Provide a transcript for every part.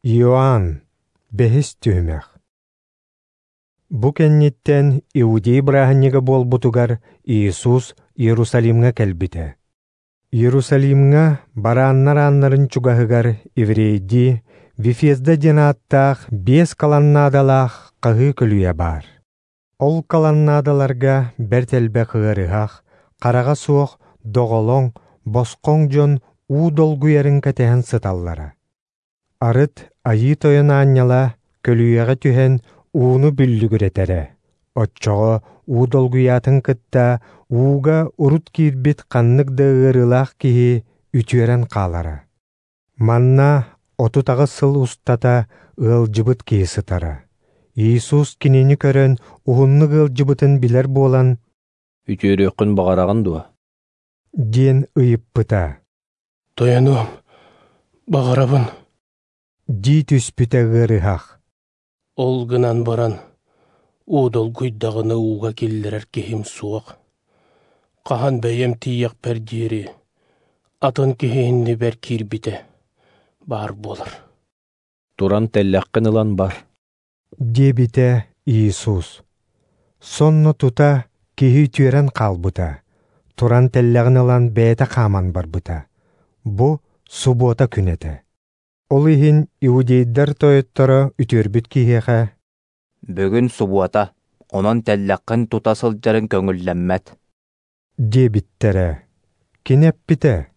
Иоанн, бэһис түһүмэх. Бу кэнниттэн Иудей бырааһынньыга буолбутугар Иисус Иерусалимҥа кэлбитэ. Иерусалимҥа барааннар ааннарын чугаһыгар еврейдии Вифезда диэн ааттаах 5 колоннадалаах хаһыы көлүйэ баар. Ол колоннадаларга бэрт элбэх ыарыһах, хараҕа суох, доҕолоҥ, босхоҥ дьон уу долгуйарын кэтэһэн сыталлара. Арыт Айыы Тойон аанньала көлүйэҕэ түһэн ууну бүллүгүрэтэрэ. Оччоҕо уу долгуйаатын кытта ууга урут киирбит ханнык да ыарыылаах киһи үтүөрэн хаалара. Манна 38 сыл устата ыалдьыбыт киһи сытара. Иисус кинини көрөн уһуннук ыалдьыбытын билэр буолан, «Үтүөрүөххүн баҕараҕын дуо?» диэн ыйыппыта. «Тойонуом, баҕарабын», дии түспүтэ ыарыһах. «Ол гынан баран, уу долгуйдаҕына ууга киллэрэр киһим суох. Хаһан бэйэм тиийэхпэр диэри атын киһи иннибэр киирбитэ баар буолар». «Туран тэллэххин ылан бар», диэбитэ Иисус. Сонно тута киһи үтүөрэн хаалбыта. Туран тэллэҕин ылан бэйэтэ хааман барбыта. Бу субуота күн этэ. Ол иһин иудейдар тойотторо үтүөрбүт киһиэхэ «Бүгүн субуота, онон тэллэххин тута сылдьарын көҥүллэммэт», диэбиттэрэ. Кини эппитэ: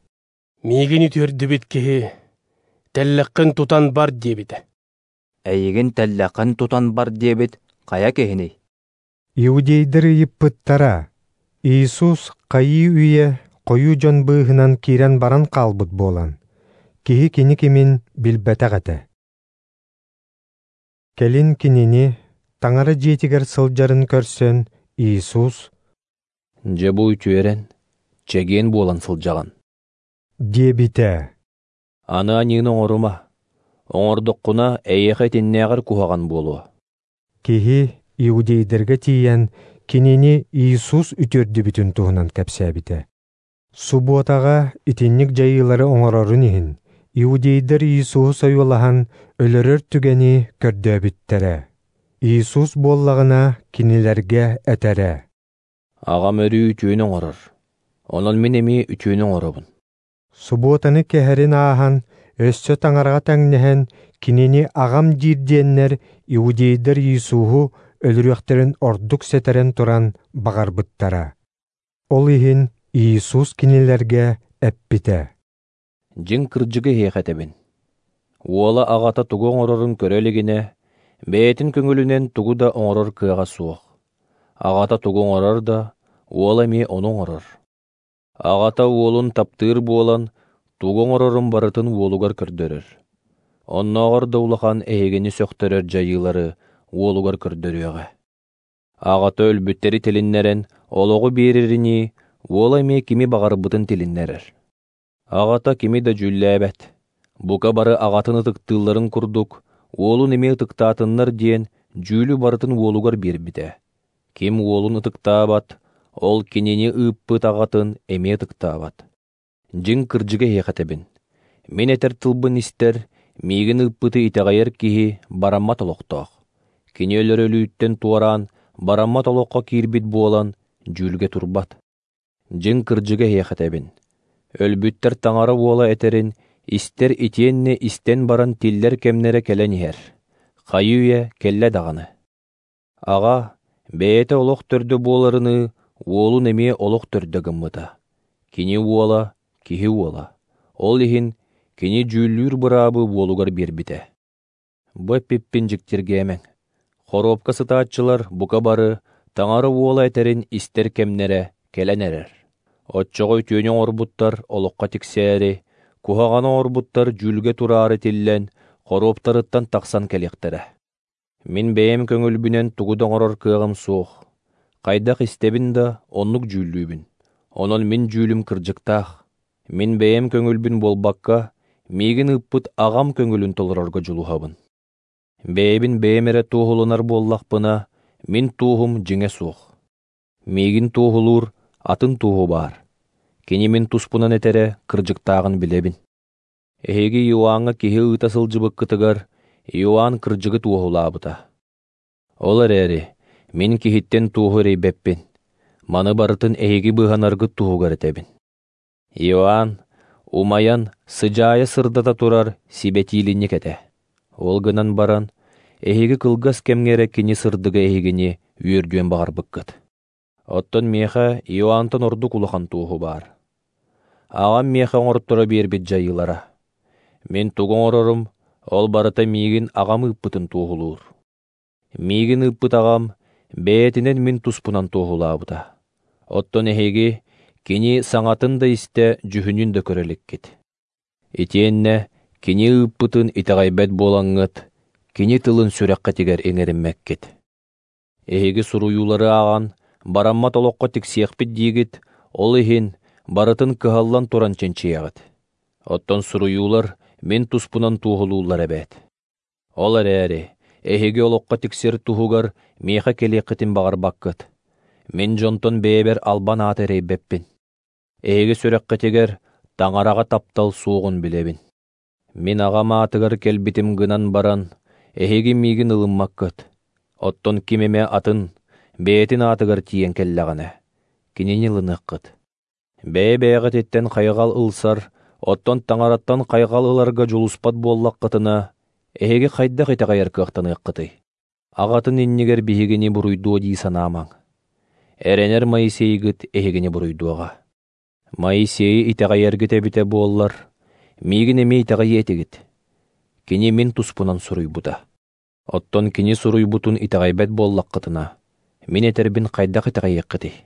«Миигин үтүөрдүбүт киһи тэллэххин тутан бар диэбитэ». «Эйигин тэллэххин тутан бар диэбит хайа киһиний?» Иудейдар ыйыппыттара. Иисус хайыы үйэ хойуу дьон быыһынан киирэн баран хаалбыт буолан, киһи кини кимин билбэтэх этэ. Кэлин кинини Таҥара дьиэтигэр сылдьарын көрсөн Иисус «Дьэ бу үтүөрэн, чэгиэн буолан сылдьаҕын», диэбитэ. «Аны аньыыны оҥорума, оҥордоххуна эйиэхэ итиннээҕэр куһаҕан буолуо». Киһи иудейдарга тиийэн кинини Иисус үтүөрдүбүтүн туһунан кэпсээбитэ. Субуотаҕа итинник дьайыылары оҥорорун иһин иудейдар Иисуһу сойуолаһан өлөрөр түгэни көрдөөбүттэрэ. Иисус буоллаҕына кинилэргэ этэрэ: «Аҕам өрүү үтүөнү оҥорор, онон мин эмиэ үтүөнү оҥоробун». Субуотаны кэһэрин ааһан, өссө Таҥараҕа тэҥнэһэн кинини аҕам диир диэннэр иудейдар Иисуһу өлөрүөхтэрин ордук сэтэрэн туран баҕарбыттара. Ол иһин Иисус кинилэргэ эппитэ: «Дьиҥ кырдьыгы эһиэхэ этэбин. Уола аҕата тугу оҥорорун көрө илигинэ, бэйэтин көҥүлүнэн тугу да оҥорор кыаҕа суох. Аҕата тугу оҥорор да, уола эмиэ ону оҥорор. Аҕата уолун таптыыр буолан, тугу оҥорорун барытын уолугар көрдөрөр. Оннооҕор да улахан эһигини сөхтөрөр дьайыылары уолугар көрдөрүөҕэ. Аҕата өлбүттэри тилиннэрэн олоҕу биэрэринии, уола эмиэ кими баҕарбытын тилиннэрэр. Аҕата кими да дьүүллээбэт. Бука бары аҕатын ытыктыылларын курдук, уолун эмиэ ытыктаатыннар диэн дьүүлү барытын уолугар биэрбитэ. Ким уолун ытыктаабат, ол кинини ыыппыт аҕатын эмиэ ытыктаабат. Дьиҥ кырдьыгы эһиэхэ этэбин. Мин этэр тылбын истэр, миигин ыыппыты итэҕэйэр киһи бараммат олохтоох. Кини өлөр өлүүттэн туораан, бараммат олоххо киирбит буолан, дьүүлгэ турбат. Дьиҥ кырдьыгы эһиэхэ этэбин. Өлбүттэр Таҥара уола этэрин истэр итиэннэ истэн баран тиллэр кэмнэрэ кэлэн иһэр. Хайыы үйэ кэллэ даҕаны. Аҕа бэйэтэ олох төрдө буоларыныы уолун эмиэ олох төрдө гыммыта. Кини уола, киһи уола. Ол иһин кини дьүүллүүр быраабы уолугар биэрбитэ. Бу эппиппин дьиктиргээмэҥ. Хоруопка сытааччылар бука бары Таҥара уола этэрин истэр кэмнэрэ кэлэн эрэр. Оччоҕо үтүөнү оҥорбуттар олоххо тиксээри, куһаҕаны оҥорбуттар дьүүлгэ тураары тиллэн, хоруоптарыттан тахсан кэлиэхтэрэ. Мин бэйэм көҥүлбүнэн тугу да оҥорор кыаҕым суох. Хайдах истэбин да оннук дьүүллүүбүн. Онон мин дьүүлүм кырдьыктаах. Мин бэйэм көҥүлбүн буолбакка, миигин ыыппыт аҕам көҥүлүн толорорго дьулуһабын. Бэйэбин бэйэм эрэ туоһуланар буоллахпына, мин туоһум дьиҥэ суох. Миигин туоһулуур атын туоһу баар. Кини мин туспунан этэрэ кырдьыктааҕын билэбин. Эһиги Иоанҥа киһи ыыта сылдьыбыккытыгар Иоанн кырдьыгы туоһулаабыта. Ол эрээри мин киһиттэн туоһу эрэйбэппин, маны барытын эһиги быыһанаргыт туһугар этэбин. Иоанн умайан сыдьаайа сырдата турар сибэтиилинньик этэ. Ол гынан баран, эһиги кылгас кэмҥэ эрэ кини сырдыга эһигини үөрдүөн баҕарбыккыт. Оттон миэхэ Иоаннтан ордук улахан туоһу баар. Аҕам миэхэ оҥорторо биэрбит дьайыылара. Мин тугу оҥорорум, ол барыта миигин аҕам ыыппытын туоһулуур. Миигин ыыппыт аҕам бэйэтинэн мин туспунан туоһулаабыта. Оттон эһиги кини саҥатын да истэ, дьүһүнүн да көрө иликкит. Итиэннэ кини ыыппытын итэҕэйбэт буолаҥҥыт, кини тылын сүрэххитигэр иҥэриммэккит. Эһиги суруйуулары ааҕан, бараммат олоххо тиксиэхпит диигит, ол иһин барытын кыһаллан туран чинчийэҕит. Оттон суруйуулар мин туспунан туоһулууллар эбээт. Ол эрээри эһиги олоххо тиксэр туһугар миэхэ кэлиэххитин баҕарбаккыт. Мин дьонтон бэйэбэр албан ааты эрэйбэппин. Эһиги сүрэххитигэр Таҥараҕа таптал суоҕун билэбин. Мин аҕам аатыгар кэлбитим гынан баран, эһиги миигин ылыммаккыт. Оттон ким эмэ атын, бэйэтин аатыгар тиийэн кэллэҕинэ, кинини ылыныаххыт. Бэйэ-бэйэҕититтэн хайҕал ылсар, оттон Таҥараттан хайҕал ыларга дьулуспат буоллаххытына, эһиги хайдах итэҕэйэр кыахтаныаххытый? Аҕатын иннигэр биһигини буруйдуо дии санаамаҥ. Эрэнэр Моисейгыт эһигини буруйдуоҕа. Моисейы итэҕэйэргит эбитэ буоллар, миигин эмиэ итэҕэйиэ этигит. Кини мин туспунан суруйбута. Оттон кини суруйбутун итэҕэйбэт буоллаххытына, мин этэрбин хайдах итэҕэйиэххитий?